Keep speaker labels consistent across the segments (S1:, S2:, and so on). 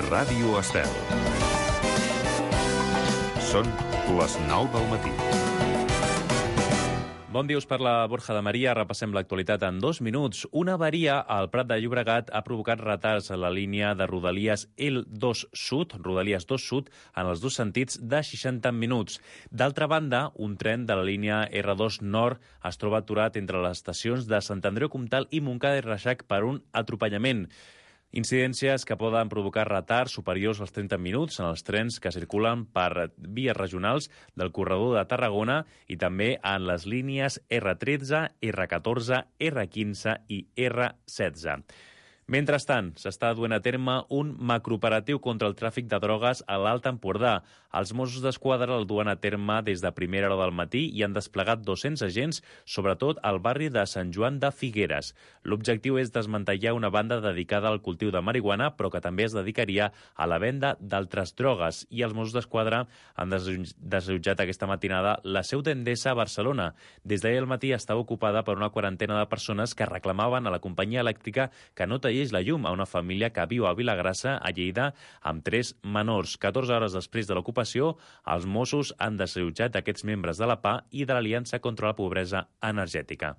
S1: Ràdio Estel. Són les 9 del matí.
S2: Bon dia, us parla Borja de Maria. Repassem l'actualitat en 2 minuts. Una avaria al Prat de Llobregat ha provocat retards a la línia de Rodalies L2 Sud, Rodalies 2 Sud, en els dos sentits de 60 minuts. D'altra banda, un tren de la línia R2 Nord es troba aturat entre les estacions de Sant Andreu Comtal i Montcada i Reixac per un atropellament. Incidències que poden provocar retards superiors als 30 minuts en els trens que circulen per vies regionals del corredor de Tarragona i també en les línies R13, R14, R15 i R16. Mentrestant, s'està duent a terme un macrooperatiu contra el tràfic de drogues a l'Alt Empordà. Els Mossos d'Esquadra el duen a terme des de primera hora del matí i han desplegat 200 agents, sobretot al barri de Sant Joan de Figueres. L'objectiu és desmantellar una banda dedicada al cultiu de marihuana, però que també es dedicaria a la venda d'altres drogues. I els Mossos d'Esquadra han desallotjat aquesta matinada la seu d'Endesa a Barcelona. Des d'ahir al matí estava ocupada per una quarantena de persones que reclamaven a la companyia elèctrica que no tallés la llum a una família que viu a Vilagrassa, a Lleida, amb 3 menors. 14 hores després de l'ocupació, els Mossos han desallotjat aquests membres de la PA i de l'Aliança contra la Pobresa Energètica.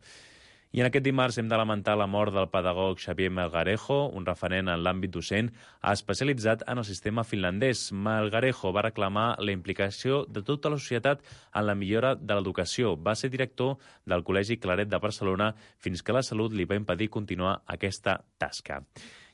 S2: I en aquest dimarts hem de lamentar la mort del pedagog Xavier Melgarejo, un referent en l'àmbit docent especialitzat en el sistema finlandès. Melgarejo va reclamar la implicació de tota la societat en la millora de l'educació. Va ser director del Col·legi Claret de Barcelona fins que la salut li va impedir continuar aquesta tasca.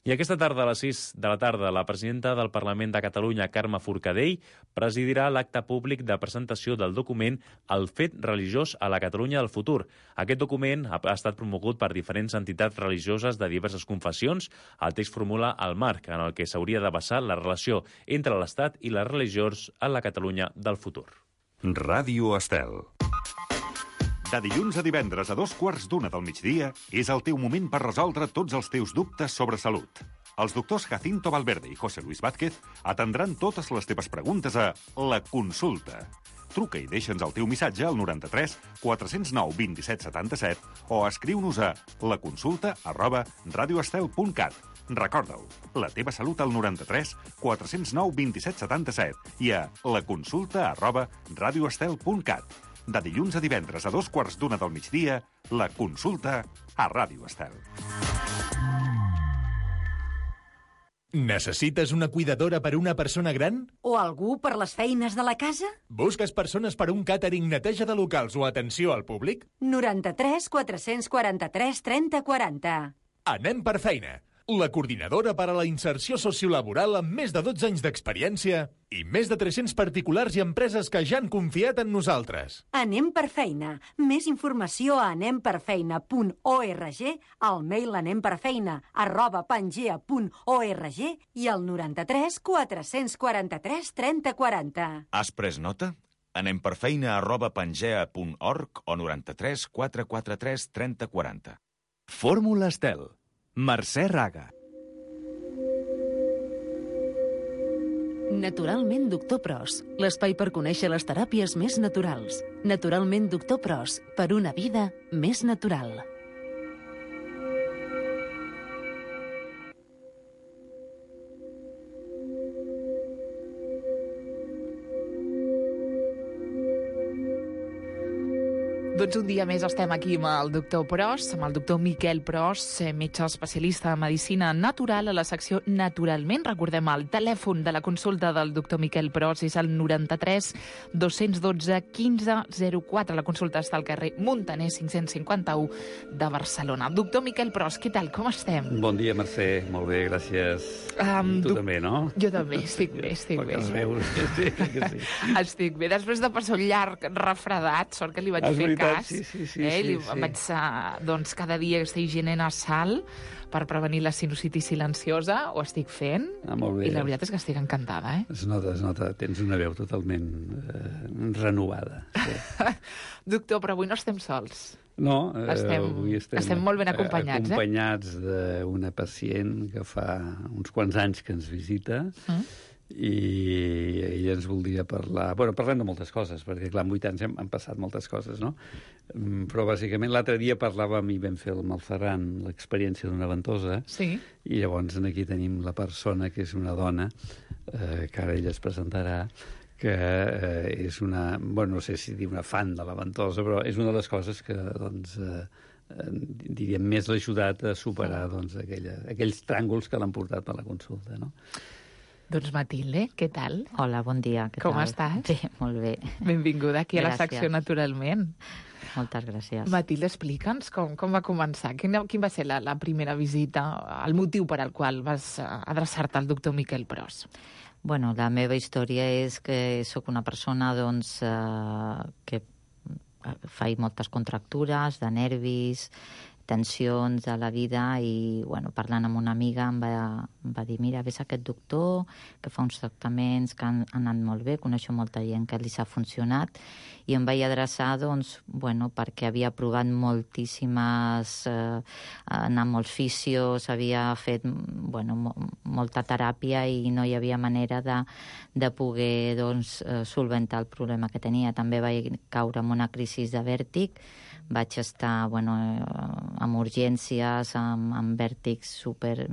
S2: I aquesta tarda, a les 6 de la tarda, la presidenta del Parlament de Catalunya, Carme Forcadell, presidirà l'acte públic de presentació del document El fet religiós a la Catalunya del futur. Aquest document ha estat promogut per diferents entitats religioses de diverses confessions. El text formula el marc en el que s'hauria de basar la relació entre l'Estat i les religions a la Catalunya del futur.
S1: Ràdio Estel. De dilluns a divendres a 2:15 del migdia és el teu moment per resoldre tots els teus dubtes sobre salut. Els doctors Jacinto Valverde i José Luis Vázquez atendran totes les teves preguntes a La Consulta. Truca i deixa'ns el teu missatge al 93 409 27 77 o escriu-nos a laconsulta@radioestel.cat. Recorda-ho, la teva salut al 93 409 27 77 i a laconsulta@radioestel.cat. De dilluns a divendres a 2:15 del migdia, La Consulta a Ràdio Estel.
S3: Necessites una cuidadora per una persona gran?
S4: O algú per les feines de la casa?
S3: Busques persones per un càtering, neteja de locals o atenció al públic?
S4: 93 443 30 40.
S3: Anem per feina. La coordinadora per a la inserció sociolaboral amb més de 12 anys d'experiència i més de 300 particulars i empreses que ja han confiat en nosaltres.
S4: Anem per feina. Més informació a anemperfeina.org, al mail anemperfeina@pangea.org i al 93 443 30 40.
S5: Has pres nota? anemperfeina@pangea.org o 93 443 30 40.
S6: Fórmula Estel. Mercè Raga.
S7: Naturalment Doctor Pros, l'espai per conèixer les teràpies més naturals. Naturalment Doctor Pros, per una vida més natural.
S8: Doncs un dia més estem aquí amb el doctor Pros, amb el doctor Miquel Pros, metge especialista en medicina natural a la secció Naturalment. Recordem, el telèfon de la consulta del doctor Miquel Pros és el 93 212 1504. La consulta està al carrer Muntaner 551 de Barcelona. Doctor Miquel Pros, què tal? Com estem?
S9: Bon dia, Mercè. Molt bé, gràcies. Tu també, no?
S8: Jo també, estic bé.
S9: Sí, que sí.
S8: Estic bé. Després de passar un llarg refredat, sort que li vaig fer cas.
S9: Sí.
S8: Vaig, doncs, cada dia estic higiene nasal per prevenir la sinusitis silenciosa, ho estic fent.
S9: Molt bé.
S8: I la veritat és que estic encantada,
S9: Es nota. Tens una veu totalment renovada. Sí.
S8: Doctor, però avui no estem sols.
S9: No,
S8: avui estem molt ben acompanyats.
S9: Acompanyats d'una pacient que fa uns quants anys que ens visita i ell ens voldria parlar... Bueno, parlem de moltes coses, perquè, clar, en 8 anys han passat moltes coses, no? Però, bàsicament, l'altre dia parlàvem i vam fer amb el Ferran l'experiència d'una ventosa,
S8: sí.
S9: I llavors aquí tenim la persona, que és una dona, que ara ella es presentarà, que és una... Bueno, no sé si dir una fan de la ventosa, però és una de les coses que, doncs... diríem, més l'ha ajudat a superar doncs, aquells tràngols que l'han portat a la consulta, no?
S8: Doncs Matilde, què tal?
S10: Hola, bon dia.
S8: Com estàs?
S10: Bé, molt bé.
S8: Benvinguda aquí a la secció Naturalment.
S10: Moltes gràcies.
S8: Matilde, explica'ns com va començar. Quin va ser la primera visita, el motiu per al qual vas adreçar-te al doctor Miquel Pros?
S10: Bueno, la meva història és que sóc una persona doncs, que faig moltes contractures de nervis, tensions de la vida i, bueno, parlant amb una amiga em va dir, mira, ves a aquest doctor que fa uns tractaments que han anat molt bé, coneixo molta gent que li s'ha funcionat i em vaig adreçar, doncs, bueno, perquè havia provat moltíssimes, anar a molts fisios, havia fet, bueno, molta teràpia i no hi havia manera de poder, doncs, solventar el problema que tenia. També vaig caure en una crisi de vèrtic, vaig estar, bueno, amb urgències, amb vèrtics super...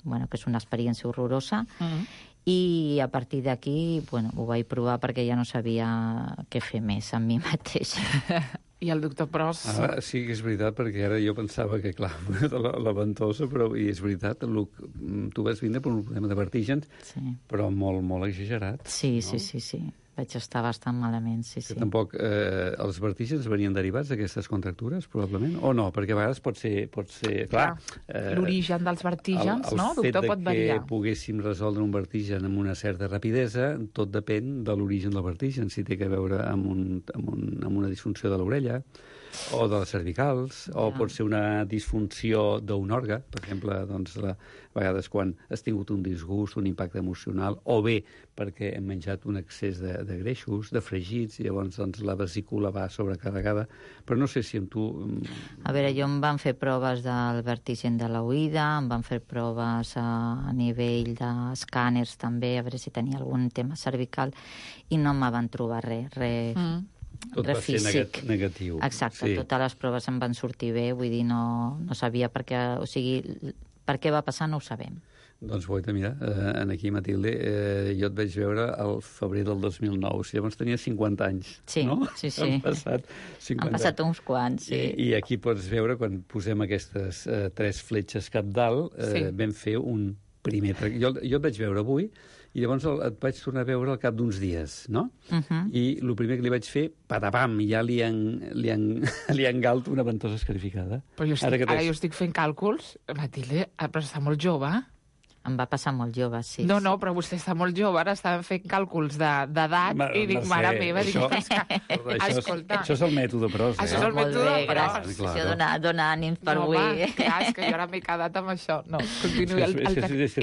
S10: Bueno, que és una experiència horrorosa. I a partir d'aquí, bueno, ho vaig provar perquè ja no sabia què fer més amb mi mateixa.
S8: I el doctor Pros...
S9: Sí que és veritat, perquè ara jo pensava que, clar, la ventosa, però i és veritat, tu vas vindre per un problema de vertígens, sí. Però molt, molt exagerat.
S10: Sí, no? Sí. Vaig estar bastant malament, sí.
S9: Tampoc els vertígens venien derivats d'aquestes contractures, probablement? O no? Perquè a vegades pot ser clar.
S8: L'origen dels vertígens, no, doctor, pot variar.
S9: El fet que poguéssim resoldre un vertigen amb una certa rapidesa, tot depèn de l'origen del vertigen, si té a veure amb una disfunció de l'orella, o de les cervicals, o pot ser una disfunció d'un òrgan, per exemple, doncs, a vegades quan has tingut un disgust, un impacte emocional, o bé perquè hem menjat un excés de greixos, de fregits, i llavors doncs, la vesícula va sobrecarregada. Però no sé si amb tu...
S10: A veure, jo em van fer proves del vertigen de l'oïda, em van fer proves a nivell d'escàners també, a veure si tenia algun tema cervical, i no me van trobar res.
S9: Tot va ser negatiu.
S10: Exacte, sí. Totes les proves em van sortir bé, vull dir, no sabia per què, o sigui, per què va passar no ho sabem.
S9: Doncs guaita, mira, aquí, Matilde, jo et vaig veure al febrer del 2009, si llavors tenia 50 anys,
S10: sí,
S9: no?
S10: Sí.
S9: Han
S10: passat uns quants, sí.
S9: I aquí pots veure, quan posem aquestes 3 fletxes cap dalt, vam fer un primer... Jo et vaig veure avui, i llavors et vaig tornar a veure al cap d'uns dies, no? I el primer que li vaig fer, patapam, ja li engalt una ventosa escarificada.
S8: Però ara jo estic fent càlculs, Matilde, però està molt jove.
S10: Em va passar molt jove, sí.
S8: No, però vostè està molt jove, ara estàvem fent càlculs d'edat i dic, mare meva,
S10: escolta...
S9: Això és el mètode Pros,
S8: Això és el mètode Pros.
S10: Això dona ànims per avui.
S8: Home, clar, és que jo ara m'he quedat amb això. No, continuï.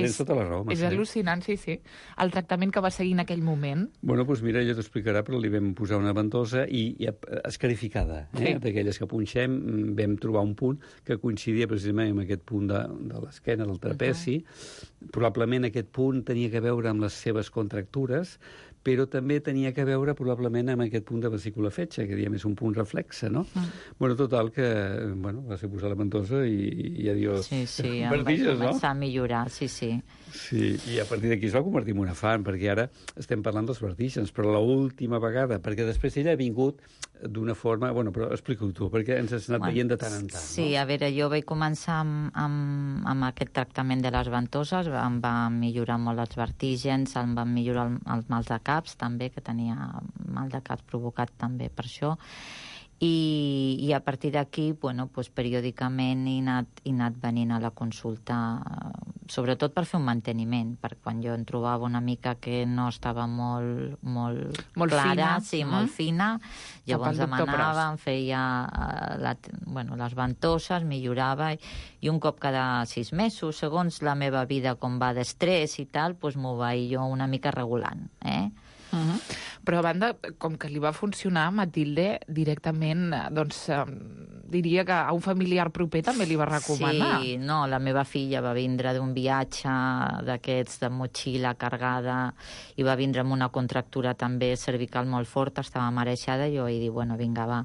S9: És tota la raó,
S8: és al·lucinant, sí. El tractament que va seguir en aquell moment...
S9: Bueno, doncs mira, ella t'explicarà, però li vam posar una ventosa i escarificada, d'aquelles que punxem, vam trobar un punt que coincidia precisament amb aquest punt de l'esquena, del trapeci. Probablement aquest punt tenia a veure amb les seves contractures, però també tenia a veure probablement amb aquest punt de vesícula fetge, que diem és un punt reflexe, no? Bueno, total, que va ser posar la ventosa i adiós.
S10: Sí, em vaig començar a millorar, sí.
S9: Sí, i a partir d'aquí es va convertir en una fan, perquè ara estem parlant dels vertígens, però l'última vegada, perquè després ella ha vingut d'una forma... Bueno, però explica-ho tu, perquè ens has anat veient de tant en tant, no?
S10: Sí, a veure, jo vaig començar amb aquest tractament de les ventoses, em va millorar molt els vertígens, em van millorar els mals de caps, també, que tenia mal de caps provocat també per això, i a partir d'aquí, bueno, doncs, periòdicament he anat venint a la consulta, sobretot per fer un manteniment, perquè quan jo em trobava una mica que no estava molt clara, molt fina, llavors demanava, em feia les ventoses, millorava, i un cop cada 6 mesos, segons la meva vida com va d'estrès i tal, doncs m'ho vaig jo una mica regulant,
S8: Però a banda, com que li va funcionar, Matilde, directament, doncs, diria que a un familiar proper també li va recomanar.
S10: Sí, no, la meva filla va vindre d'un viatge d'aquests de motxilla cargada i va vindre amb una contractura també cervical molt forta, estava marejada, i jo vaig dir, bueno, vinga, va,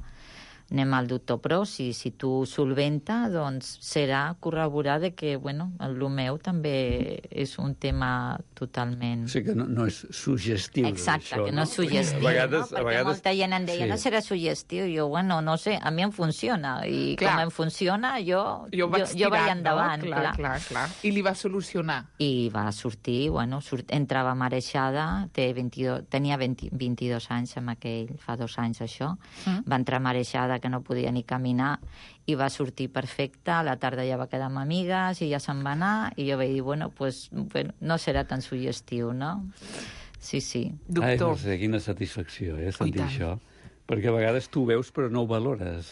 S10: anem al doctor Pros, i si tu solventa, doncs serà corroborar de que, bueno, el meu també és un tema totalment...
S9: O sigui que no és suggestiu.
S10: Exacte,
S9: això,
S10: que no és suggestiu, perquè molta gent em deia,
S9: sí.
S10: no serà suggestiu, jo, bueno, no sé, a mi em funciona, i
S8: Clar.
S10: com em funciona, jo vaig
S8: tirant,
S10: endavant.
S8: No? Clar. I li va solucionar.
S10: I va sortir, bueno, entrava marejada, tenia 22 anys amb aquell, fa 2 anys això, va entrar marejada que no podia ni caminar, i va sortir perfecta, a la tarda ja va quedar amb amigues i ja se'n va anar, i jo vaig dir, bueno, no serà tan suggestiu, no? Sí.
S8: Doctor.
S9: Ai, no sé, quina satisfacció, sentir això. Perquè a vegades tu veus però no ho valores,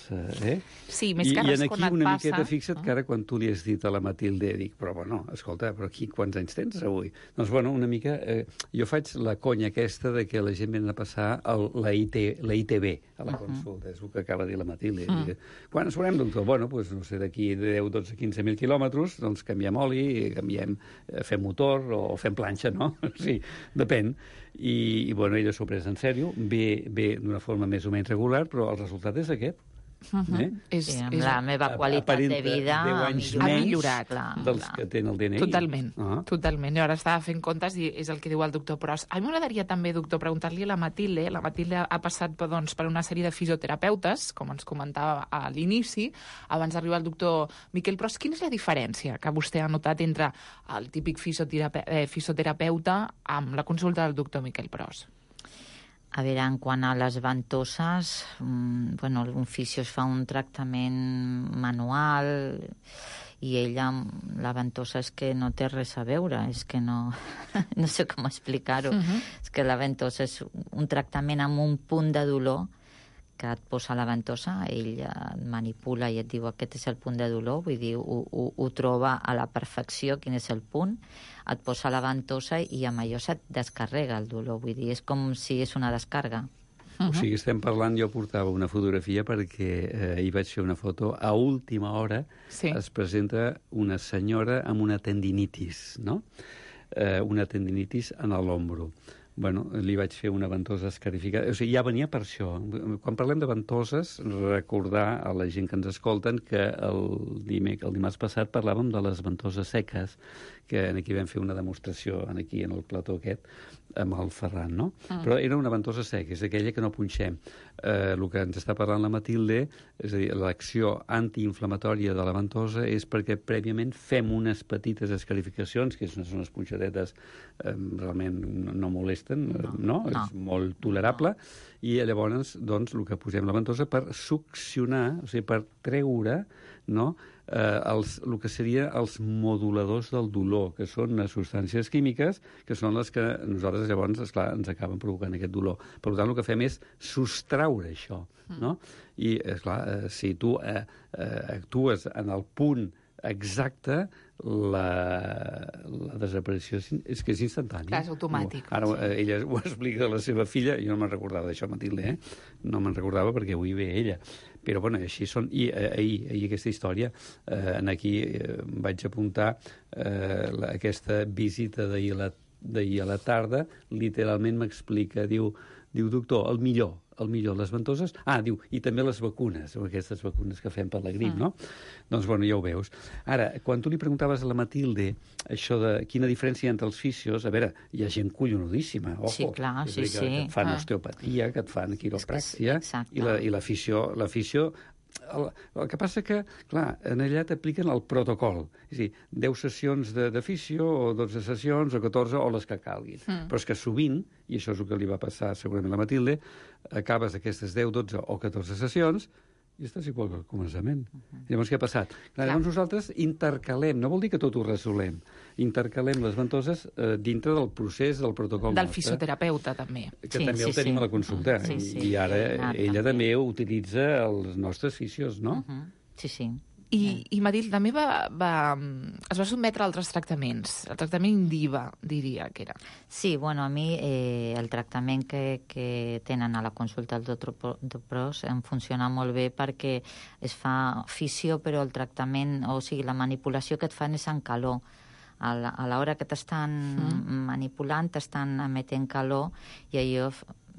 S9: eh?
S8: Sí, més que res quan et passa...
S9: I aquí una miqueta fixa't que ara quan tu li has dit a la Matilde, dic, però bueno, escolta, però aquí quants anys tens avui? Doncs bueno, una mica, jo faig la conya aquesta de que la gent venen a passar la ITB a la consulta, és el que acaba de dir la Matilde. Quan ens veurem, doctor? Bueno, doncs no sé, d'aquí 10, 12, 15.000 quilòmetres, doncs canviem oli, fem motor o fem planxa, no? Sí, depèn. I bueno, ella s'ho ha pres en sèrio, ve d'una forma més o menys regular, però el resultat és aquest.
S10: Sí, amb la meva qualitat de vida
S9: ha
S8: millorat
S9: dels que tenen el DNI.
S8: Totalment. Jo ara estava fent comptes i és el que diu el doctor Pros. A mi m'agradaria també, doctor, preguntar-li a la Matilde. La Matilde ha passat per una sèrie de fisioterapeutes, com ens comentava a l'inici, abans d'arribar al doctor Miquel Pros. Quina és la diferència que vostè ha notat entre el típic fisioterapeuta amb la consulta del doctor Miquel Pros?
S10: A veure, en quant a les ventoses, un fisio es fa un tractament manual i ella, la ventosa és que no té res a veure, és que no sé com explicar-ho. És que la ventosa és un tractament amb un punt de dolor que et posa la ventosa, ell et manipula i et diu aquest és el punt de dolor, vull dir, ho troba a la perfecció, quin és el punt, et posa la ventosa i amb allò se't descarrega el dolor, vull dir, és com si és una descarga.
S9: O sigui, estem parlant, jo portava una fotografia perquè ahir vaig fer una foto, a última hora es presenta una senyora amb una tendinitis, no? Una tendinitis en l'ombro. Bueno, li vaig fer una ventosa escarificada. O sigui, ja venia per això. Quan parlem de ventoses, recordar a la gent que ens escolten que el dimarts passat parlàvem de les ventoses seques, que aquí vam fer una demostració aquí en el plató aquest, amb el Ferran, no? Però era una ventosa seca, és aquella que no punxem. El que ens està parlant la Matilde, és a dir, l'acció antiinflamatòria de la ventosa és perquè prèviament fem unes petites escarificacions, que són unes punxadetes realment no molesten, no? És molt tolerable, i llavors, doncs, el que posem la ventosa per succionar, o sigui, per treure, no?, el que seria els moduladors del dolor, que són unes substàncies químiques que són les que nosaltres llavors, esclar, ens acaben provocant aquest dolor. Per tant, el que fem és sostraure això, no? I, esclar, si tu actues en el punt exacte, la desaparició és que és instantània.
S8: Clar, és automàtic.
S9: Ara ella ho explica a la seva filla, jo no me'n recordava d'això, Matilde, no me'n recordava perquè avui ve ella. Però, bueno, així són. I ahir aquesta història, aquí vaig apuntar aquesta visita d'ahir a la tarda, literalment m'explica, diu, doctor, el millor, les ventoses... diu, i també les vacunes, aquestes vacunes que fem per la grip, no? Doncs, bueno, ja ho veus. Ara, quan tu li preguntaves a la Matilde això de quina diferència hi ha entre els fisios, a veure, hi ha gent collonudíssima, ojo.
S10: Sí, clar, sí.
S9: Que et fan osteopatia, que et fan quiropràctia, i la fisio... El que passa que, clar, en allà t'apliquen el protocol. És a dir, 10 sessions de fisio, o 12 sessions, o 14, o les que calguin. Però és que sovint, i això és el que li va passar segurament a la Matilde, acabes aquestes 10, 12 o 14 sessions i estàs igual que al començament. Llavors, què ha passat? Llavors nosaltres intercalem, no vol dir que tot ho resolem, intercalem les ventoses dintre del procés, del protocol
S8: del fisioterapeuta, també.
S9: Que també el tenim a la consulta. I ara ella també utilitza els nostres fisios, no?
S10: Sí.
S8: I Matil, també es va sotmetre a altres tractaments. El tractament Indiva, diria que era.
S10: Sí, bueno, a mi el tractament que tenen a la consulta del doctor Pros em funciona molt bé perquè es fa fisio, però el tractament, o sigui, la manipulació que et fan és en calor. A l'hora que t'estan manipulant, t'estan emetent calor i allò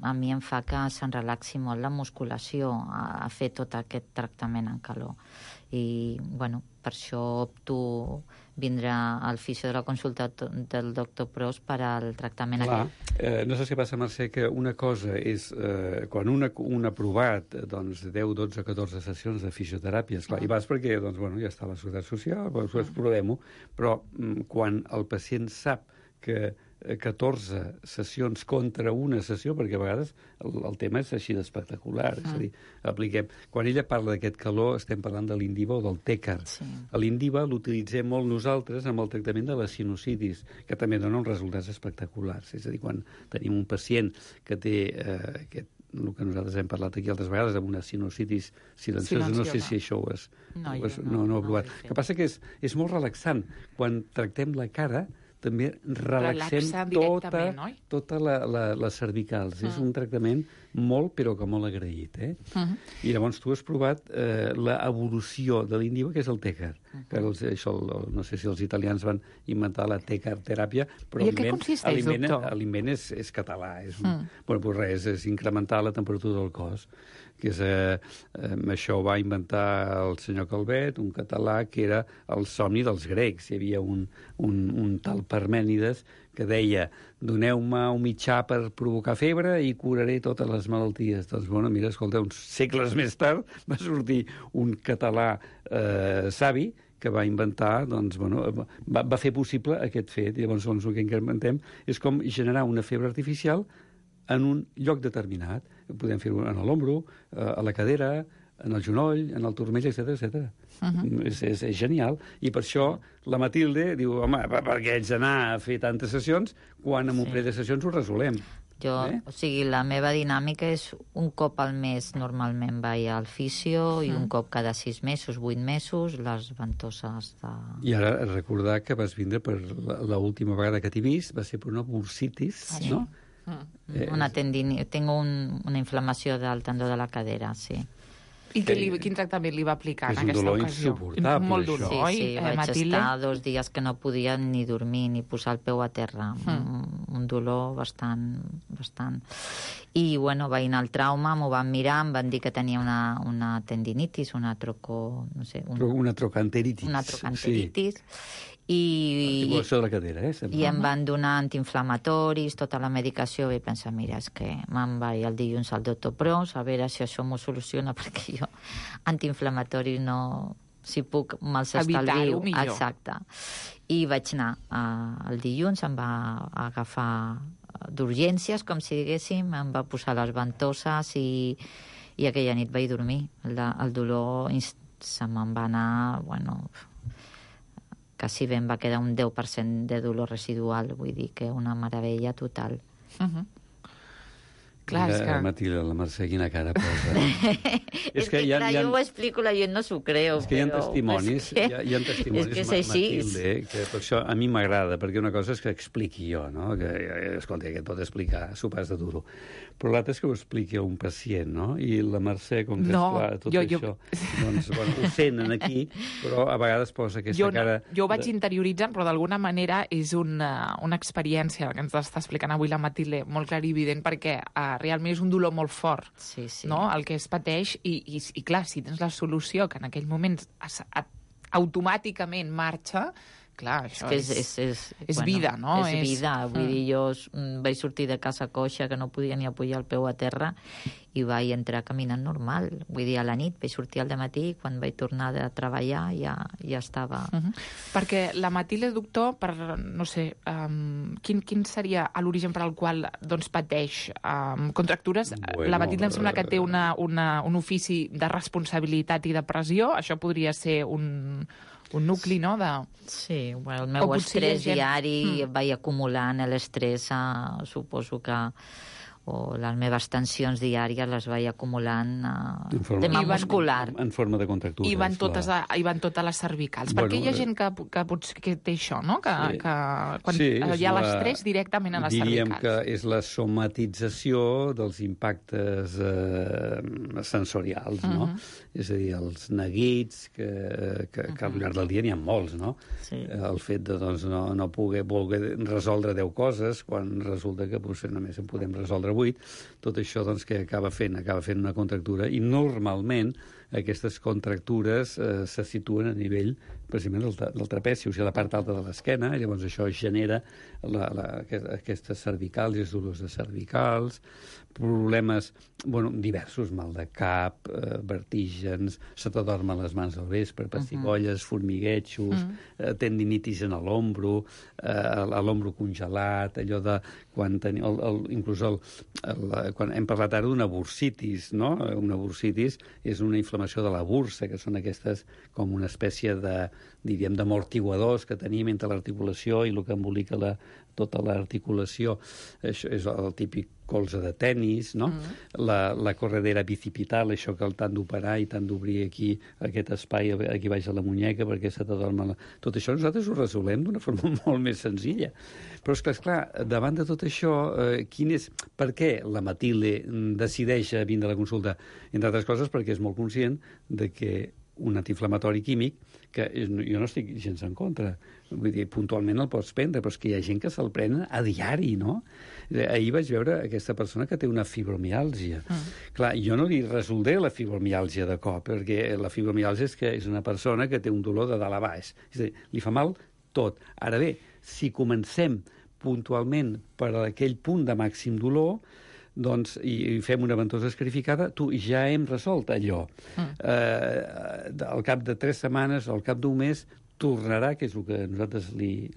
S10: a mi em fa que se'n relaxi molt la musculació a fer tot aquest tractament en calor. I, bueno, per això opto vindre al fisio de la consulta del doctor Pros per al tractament aquest.
S9: No sé què passa, Mercè, que una cosa és quan un ha provat 10, 12, 14 sessions de fisioteràpia, esclar, i vas perquè ja està a la Seguretat Social, doncs provem-ho, però quan el pacient sap que 14 sessions contra una sessió, perquè a vegades el tema és així d'espectacular. És a dir, apliquem... Quan ella parla d'aquest calor, estem parlant de l'Indiva o del Tècar. Sí. L'Indiva l'utilitzem molt nosaltres amb el tractament de la sinusitis, que també dona uns resultats espectaculars. És a dir, quan tenim un pacient que té el que nosaltres hem parlat aquí altres vegades, amb una sinusitis silenciosa. No sé si això ho has provat. El que passa que és molt relaxant. Quan tractem la cara, també relaxem tota les cervicals. És un tractament molt, però que molt agraït. I llavors tu has provat l'evolució de l'Indiva, que és el Tècar. No sé si els italians van inventar la Tècar-teràpia, però l'aliment és català. És incrementar la temperatura del cos. Això ho va inventar el senyor Calvet, un català, que era el somni dels grecs. Hi havia un tal Parmènides que deia: doneu-me un mitjà per provocar febre i curaré totes les malalties. Doncs, mira, escolta, uns segles més tard va sortir un català savi que va inventar, va fer possible aquest fet. I llavors el que incrementem és com generar una febre artificial en un lloc determinat. Podem fer-ho en l'ombro, a la cadera, en el genoll, en el turmell, etc. És genial. I per això la Matilde diu: home, per què haig d'anar a fer tantes sessions quan en un parell de sessions ho resolem?
S10: O sigui, la meva dinàmica és un cop al mes normalment vaig al fisio i un cop cada 6 mesos, 8 mesos, les ventoses de...
S9: I ara recordar que vas vindre per l'última vegada que t'he vist, va ser per una bursitis, no?
S10: Tengo una inflamació del tendó de la cadera, sí.
S8: I quin tractament li va aplicar en aquesta ocasió?
S9: És un dolor insuportable.
S8: Molt dolor, oi,
S10: Sí, vaig estar 2 dies que no podia ni dormir ni posar el peu a terra. Un dolor bastant. I, bueno, vaig anar al trauma, m'ho van mirar, em van dir que tenia una tendinitis, una
S9: trocanteritis.
S10: Una trocanteritis.
S9: Articulació de la cadera,
S10: I em van donar antiinflamatoris, tota la medicació, i pensar, mira, és que me'n vaig el dilluns al doctor Pros, a veure si això m'ho soluciona, perquè jo antiinflamatoris no... Si puc, me'ls estalvio.
S8: Evitar-ho millor.
S10: Exacte. I vaig anar el dilluns, em va agafar d'urgències, com si diguéssim, em va posar les ventoses i aquella nit vaig dormir. El dolor se me'n va anar, quasi bé em va quedar un 10% de dolor residual, vull dir que una meravella total.
S8: Clar, és que...
S9: Matilde, la Mercè, quina cara posa.
S10: És que jo ho explico, la gent no s'ho creu.
S9: És que hi ha testimonis, hi ha testimonis, Matilde, que per això a mi m'agrada, perquè una cosa és que expliqui jo, no? Que, escolta, que et pot explicar, s'ho pas de duro. Però l'altre és que ho expliqui a un pacient, no? I la Mercè, com que esclar, tot això, doncs, ho senten aquí, però a vegades posa aquesta cara...
S8: Jo ho vaig interioritzant, però d'alguna manera és una experiència que ens està explicant avui la Matilde, molt clarivident, perquè realment és un dolor molt fort, no? El que es pateix, i clar, si tens la solució que en aquell moment automàticament marxa, clar, això és vida, no?
S10: És vida, vull dir, jo vaig sortir de casa coixa, que no podia ni apujar el peu a terra, i vaig entrar caminant normal. Vull dir, a la nit, vaig sortir al dematí, i quan vaig tornar a treballar ja estava...
S8: Perquè la Matilde, doctor, no sé, quin seria l'origen per al qual pateix contractures? La Matilde em sembla que té un ofici de responsabilitat i de pressió. Això podria ser un nucli, no?
S10: Sí, el meu estrès diari vaig acumulant l'estrès, suposo que o les meves tensions diàries les vaig acumulant tema
S9: I
S10: muscular.
S9: En forma de contractures.
S8: I van totes a les cervicals. Perquè hi ha gent que té això, no? Que quan hi ha l'estrès directament a les cervicals.
S9: Diríem que és la somatització dels impactes sensorials, no? És a dir, els neguits, que al llarg del dia n'hi ha molts, no? El fet de no voler resoldre 10 coses, quan resulta que potser només en podem resoldre 8, tot això que acaba fent una contractura, i normalment aquestes contractures se situen a nivell precisament del trapeci, o sigui, la part alta de l'esquena, i llavors això genera aquestes cervicals i els dolors de cervicals, problemes diversos, mal de cap, vertígens, se t'adormen les mans al vespre, pessigolles, formiguetxos, tendinitis en l'ombro, l'ombro congelat, allò de quan hem parlat ara d'una bursitis, no? Una bursitis és una inflamació de la bursa, que són aquestes com una espècie d'amortiguadors que tenim entre l'articulació i el que embolica tota l'articulació. Això és el típic colze de tennis, no? La corredera bicipital, això que t'han d'operar i t'han d'obrir aquí aquest espai aquí baix de la muñeca perquè se t'adorma tot això nosaltres ho resolem d'una forma molt més senzilla. Però és clar, davant de tot això, per què la Matilde decideix vindre a la consulta? Entre altres coses perquè és molt conscient de que un antiinflamatori químic, que jo no estic gens en contra, vull dir, puntualment el pots prendre, però és que hi ha gent que se'l prenen a diari, no? Ahir vaig veure aquesta persona que té una fibromiàlgia. Clar, jo no li resoldré la fibromiàlgia de cop, perquè la fibromiàlgia és una persona que té un dolor de dalt a baix. És a dir, li fa mal tot. Ara bé, si comencem puntualment per aquell punt de màxim dolor, doncs, i fem una ventosa escarificada, ja hem resolt allò. Al cap de 3 setmanes o al cap d'un mes tornarà, que és el que nosaltres li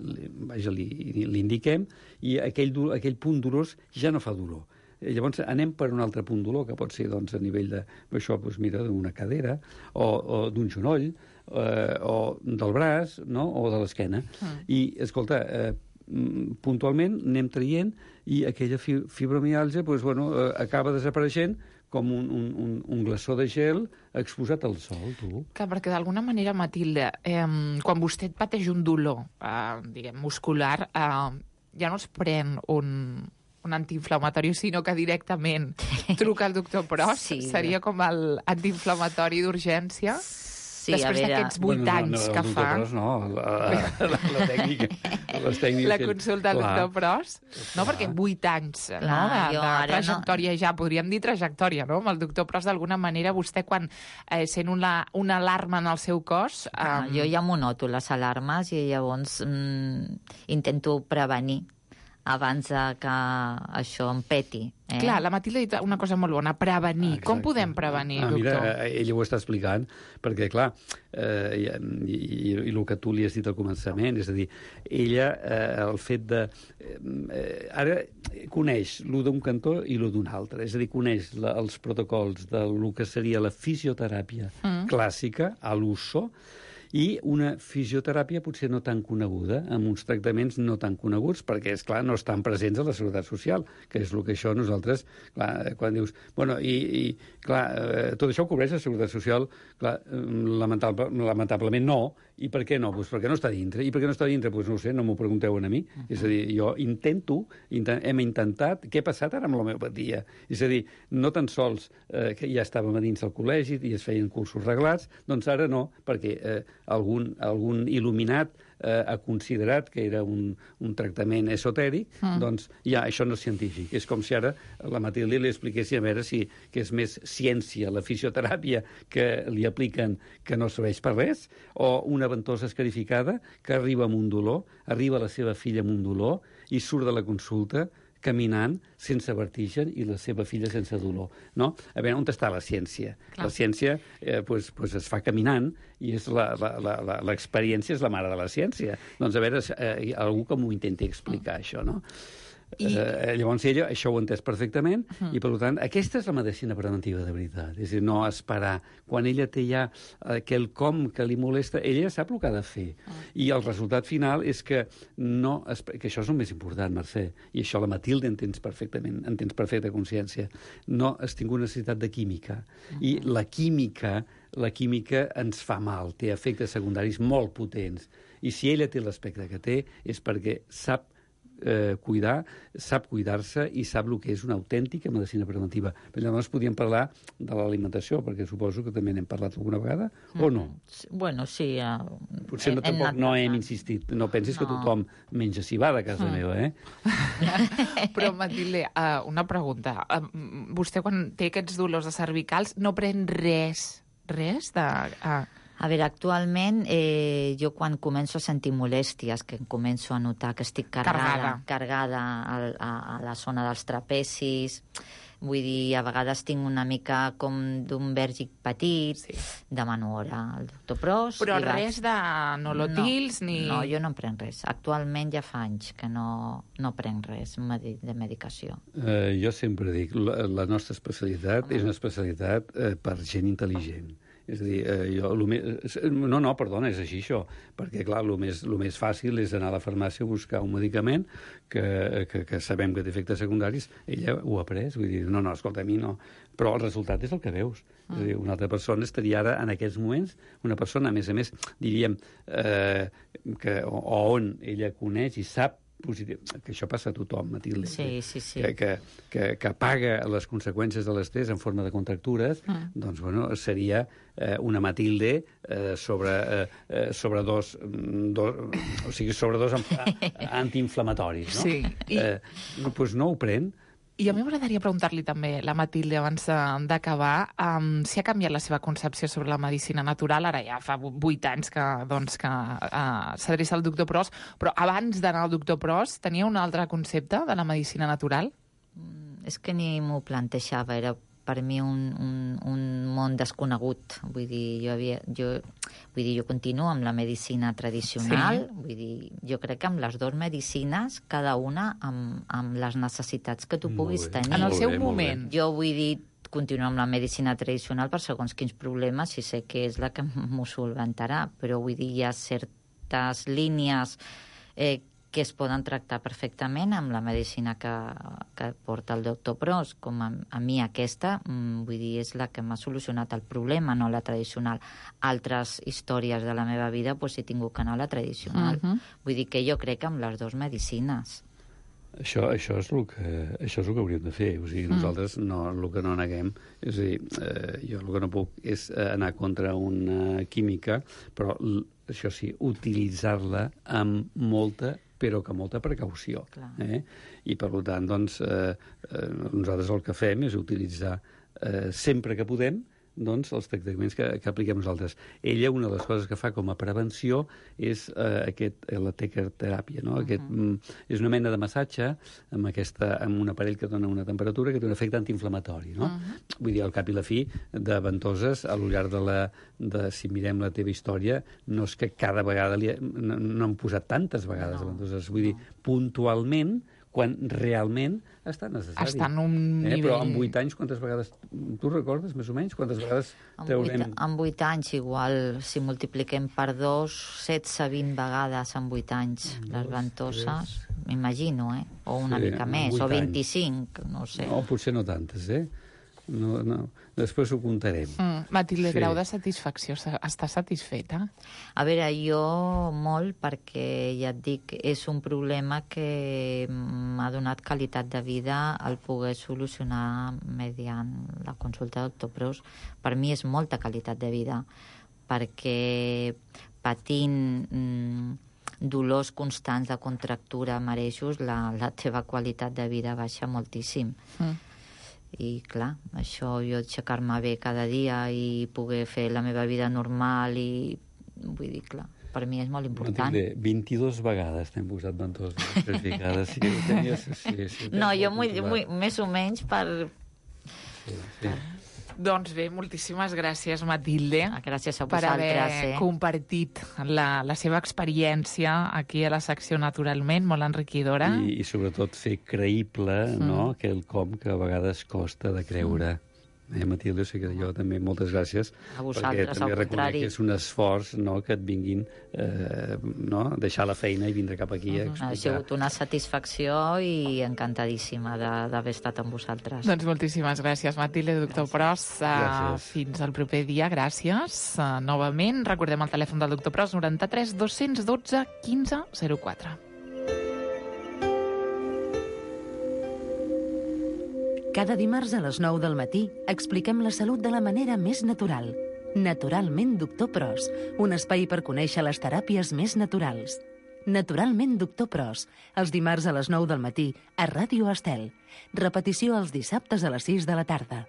S9: indiquem, i aquell punt dolós ja no fa dolor. Llavors anem per un altre punt dolor, que pot ser a nivell d'una cadera, o d'un genoll, o del braç, o de l'esquena. I, escolta, puntualment anem traient i aquella fibromiàlgia acaba desapareixent com un glaçó de gel exposat al sol, tu.
S8: Clar, perquè d'alguna manera, Matilde, quan vostè pateix un dolor, muscular, ja no es pren un antiinflamatori, sinó que directament truca al doctor Pros, seria com l'antiinflamatori d'urgència.
S10: Sí,
S8: després d'aquests 8 anys que fa...
S9: La tècnica.
S8: La consulta al doctor Pros. No, perquè 8 anys de trajectòria ja, podríem dir trajectòria, no? Amb el doctor Pros, d'alguna manera, vostè quan sent una alarma en el seu cos...
S10: Jo ja m'ho noto, les alarmes, i llavors intento prevenir abans que això em peti.
S8: Clar, la Matilde ha dit una cosa molt bona, prevenir. Exacte. Com podem prevenir, doctor?
S9: Mira, ella ho està explicant, perquè, clar, i el que tu li has dit al començament, és a dir, ella, el fet de... ara coneix lo d'un cantó i lo d'un altre, és a dir, coneix els protocols del que seria la fisioteràpia clàssica, a l'uso, i una fisioteràpia potser no tan coneguda, amb uns tractaments no tan coneguts, perquè, és clar, no estan presents a la Seguretat Social, que és el que això nosaltres, clar, quan dius... tot això ho cobreix la Seguretat Social, clar, lamentablement no, i per què no? Doncs perquè no està dintre. I per què no està dintre? Doncs no ho sé, no m'ho pregunteu a mi. És a dir, jo hem intentat... Què ha passat ara amb l'homeopatia? És a dir, no tan sols que ja estàvem a dins del col·legi i es feien cursos reglats, doncs ara no, perquè algun il·luminat ha considerat que era un tractament esotèric, doncs ja, això no és científic. És com si ara la Matilde li expliquessi a veure si que és més ciència la fisioteràpia que li apliquen que no serveix per res, o una ventosa escarificada que arriba amb un dolor, arriba la seva filla amb un dolor i surt de la consulta caminant sense vertigen i la seva filla sense dolor, no? A veure, on està la ciència? Clar. La ciència es fa caminant i és l'experiència és la mare de la ciència. Doncs a veure, algú que m'ho intenti explicar, això, no? Llavors ella això ho ha entès perfectament i, per tant, aquesta és la medicina preventiva de veritat. És a dir, no esperar. Quan ella té ja quelcom que li molesta, ella ja sap el que ha de fer. I el resultat final és que que això és el més important, Mercè, i això la Matilde entens perfectament, entens perfecta consciència. No has tingut necessitat de química. I la química ens fa mal, té efectes secundaris molt potents. I si ella té l'aspecte que té és perquè sap cuidar-se i sap el que és una autèntica medicina preventiva. Però llavors podíem parlar de l'alimentació, perquè suposo que també n'hem parlat alguna vegada, o no?
S10: Bueno, sí.
S9: Potser tampoc no hem insistit. No pensis que tothom menja cibada a casa meva, eh?
S8: Però, Matilde, una pregunta. Vostè, quan té aquests dolors de cervicals, no pren res de...
S10: A veure, actualment, jo quan començo a sentir molèsties, que començo a notar que estic carregada a la zona dels trapecis, vull dir, a vegades tinc una mica com d'un vèrgig petit, demano hora al doctor Pros...
S8: Però res de nolotils ni...
S10: No, jo no en prenc res. Actualment ja fa anys que no prenc res de medicació.
S9: Jo sempre dic, la nostra especialitat és una especialitat per gent intel·ligent. És a dir, perdona, és així això, perquè, clar, el més fàcil és anar a la farmàcia a buscar un medicament que sabem que té efectes secundaris. Ella ho ha pres, vull dir, escolta, a mi no. Però el resultat és el que veus. És a dir, una altra persona estaria ara, en aquests moments, una persona, a més, diríem, on ella coneix i sap positiu, que això passa a tothom, Matilde.
S10: Sí.
S9: Que paga les conseqüències de l'estrès en forma de contractures, doncs, bueno, seria una Matilde sobre dos antiinflamatoris, no?
S8: Sí.
S9: Doncs no ho pren.
S8: I a mi m'agradaria preguntar-li també, la Matilde, abans d'acabar, si ha canviat la seva concepció sobre la medicina natural. Ara ja fa 8 anys que s'adreça al doctor Pros, però abans d'anar al doctor Pros tenia un altre concepte de la medicina natural?
S10: És que ni m'ho plantejava, era per mi un món desconegut. Vull dir, jo continuo amb la medicina tradicional. Sí. Vull dir, jo crec que amb les dues medicines, cada una amb les necessitats que tu puguis tenir.
S8: En el seu moment.
S10: Jo vull dir, continuo amb la medicina tradicional per segons quins problemes, si sé que és la que m'ho solventarà, però vull dir, hi ha certes línies que es poden tractar perfectament amb la medicina que porta el doctor Pros, com a mi aquesta, vull dir, és la que m'ha solucionat el problema, no la tradicional. Altres històries de la meva vida, doncs he tingut que anar a la tradicional. Vull dir que jo crec que amb les dues medicines.
S9: Això és el que hauríem de fer. O sigui, nosaltres el que no neguem, és a dir, jo el que no puc és anar contra una química, però això sí, utilitzar-la amb molta precaució. I, per tant, doncs, nosaltres el que fem és utilitzar sempre que podem els tractaments que apliquem nosaltres. Ella, una de les coses que fa com a prevenció és la tequerteràpia, no? És una mena de massatge amb un aparell que dona una temperatura que té un efecte antiinflamatori, no? Vull dir, al cap i la fi, de ventoses, a lo llarg si mirem la teva història, no és que cada vegada no han posat tantes vegades ventoses. Vull dir, puntualment, quan realment està necessari.
S8: Està en un nivell...
S9: Però en 8 anys, quantes vegades... Tu recordes, més o menys, quantes vegades traurem...
S10: En 8 anys, igual, si multipliquem per 2, 16-20 vegades en 8 anys, les ventoses, m'imagino, o una mica més, o 25, no sé.
S9: No, potser no tantes, No. Després ho comptarem.
S8: Matilde, grau de satisfacció, està satisfeta?
S10: A veure, jo molt, perquè ja et dic, és un problema que m'ha donat qualitat de vida el poder solucionar mediant la consulta del doctor Pros. Per mi és molta qualitat de vida, perquè patint dolors constants de contractura, marejos, la teva qualitat de vida baixa moltíssim. I clar, això, jo aixecar-me bé cada dia i poder fer la meva vida normal i vull dir, clar, per mi és molt important.
S9: 22 vegades t'hem posat ventoses certificades. Sí.
S10: No, jo més o menys per...
S9: Sí.
S8: Doncs bé, moltíssimes gràcies, Matilde.
S10: Gràcies a
S8: per
S10: vosaltres.
S8: haver compartit la seva experiència aquí a la secció Naturalment, molt enriquidora.
S9: I sobretot fer creïble, no?, quelcom que a vegades costa de creure. Matilde, o sigui que jo també moltes gràcies.
S10: A vosaltres,
S9: perquè també
S10: al
S9: reconec
S10: contrari.
S9: que és un esforç, no?, que et vinguin deixar la feina i vindre cap aquí a explicar.
S10: Ha sigut una satisfacció i encantadíssima d'haver estat amb vosaltres.
S8: Doncs moltíssimes gràcies, Matilde, doctor Pros.
S9: Gràcies.
S8: Fins al proper dia, gràcies. Novament, recordem el telèfon del doctor Pros, 93 212 15 04.
S7: Cada dimarts a les 9 del matí expliquem la salut de la manera més natural. Naturalment, doctor Pros, un espai per conèixer les teràpies més naturals. Naturalment, doctor Pros, els dimarts a les 9 del matí a Ràdio Estel. Repetició els dissabtes a les 6 de la tarda.